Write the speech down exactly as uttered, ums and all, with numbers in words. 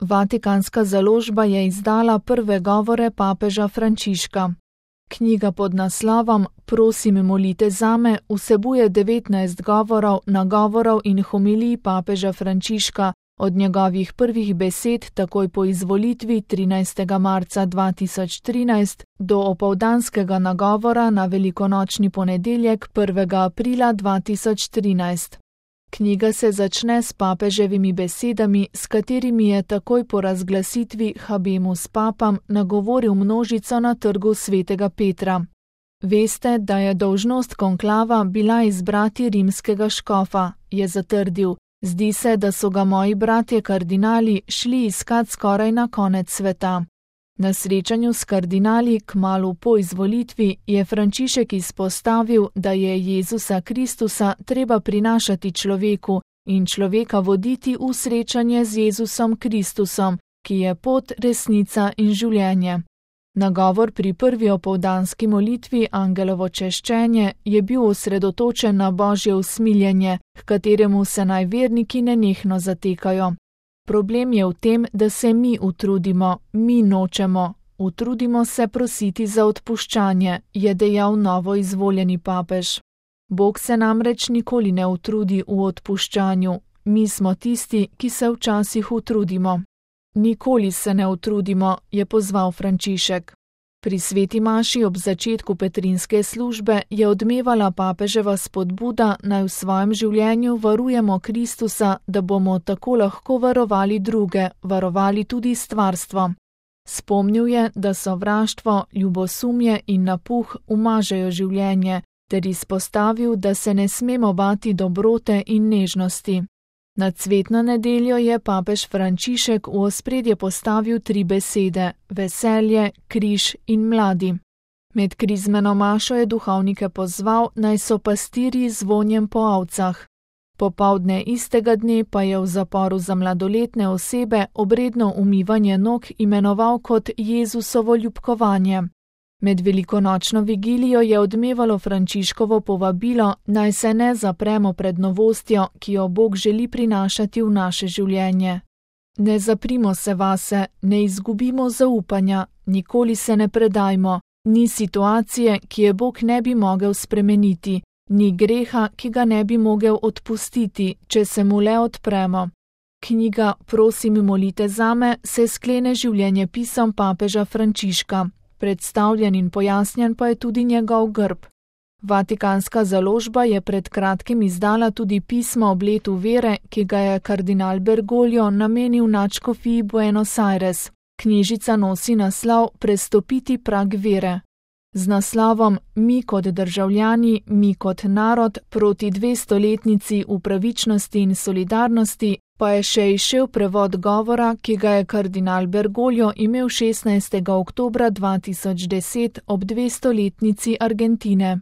Vatikanska založba je izdala prve govore papeža Frančiška. Knjiga pod naslovom Prosim, molite zame vsebuje devetnajst govorov, nagovorov in homilij papeža Frančiška od njegovih prvih besed takoj po izvolitvi trinajstega marca dva tisoč trinajst do opoldanskega nagovora na velikonočni ponedeljek prvega aprila dva tisoč trinajst. Knjiga se začne s papeževimi besedami, s katerimi je takoj po razglasitvi Habemus Papam nagovoril množico na trgu svetega Petra. Veste, da je dolžnost konklava bila izbrati rimskega škofa, je zatrdil. Zdi se, da so ga moji bratje kardinali šli iskat skoraj na konec sveta. Na srečanju s kardinali kmalu po izvolitvi je Frančišek izpostavil, da je Jezusa Kristusa treba prinašati človeku in človeka voditi v srečanje z Jezusom Kristusom, ki je pot, resnica in življenje. Nagovor pri prvi opoldanski molitvi Angelovo češčenje je bil osredotočen na Božje usmiljenje, h kateremu se naj verniki nenehno zatekajo. Problem je v tem, da se mi utrudimo, mi nočemo. Utrudimo se prositi za odpuščanje, je dejal novo izvoljeni papež. Bog se namreč nikoli ne utrudi v odpuščanju. Mi smo tisti, ki se včasih utrudimo. Nikoli se ne utrudimo, je pozval Frančišek. Pri sveti maši ob začetku petrinske službe je odmevala papeževa spodbuda, naj v svojem življenju varujemo Kristusa, da bomo tako lahko varovali druge, varovali tudi stvarstvo. Spomnil je, da sovraštvo, ljubosumje in napuh umažejo življenje, ter izpostavil, da se ne smemo bati dobrote in nežnosti. Na cvetno nedeljo je papež Frančišek v ospredje postavil tri besede: veselje, križ in mladi. Med krizmeno mašo je duhovnike pozval, naj so pastirji z vonjem po ovcah. Popoldne istega dne pa je v zaporu za mladoletne osebe obredno umivanje nog imenoval kot Jezusovo ljubkovanje. Med velikonočno vigilijo je odmevalo Frančiškovo povabilo, naj se ne zapremo pred novostjo, ki jo Bog želi prinašati v naše življenje. Ne zaprimo se vase, ne izgubimo zaupanja, nikoli se ne predajmo, ni situacije, ki je Bog ne bi mogel spremeniti, ni greha, ki ga ne bi mogel odpustiti, če se mu le odpremo. Knjiga Prosim, molite zame se sklene življenjepisom papeža Frančiška. Predstavljen in pojasnjen pa je tudi njegov grb. Vatikanska založba je pred kratkim izdala tudi pismo ob letu vere, ki ga je kardinal Bergoglio namenil nadškofiji Buenos Aires. Knjižica nosi naslov Prestopiti prag vere. Z naslovom Mi kot državljani, mi kot narod proti dvestoletnici v pravičnosti in solidarnosti pa je še izšel prevod govora, ki ga je kardinal Bergoglio imel šestnajstega oktobra dva tisoč deset ob dvestoletnici Argentine.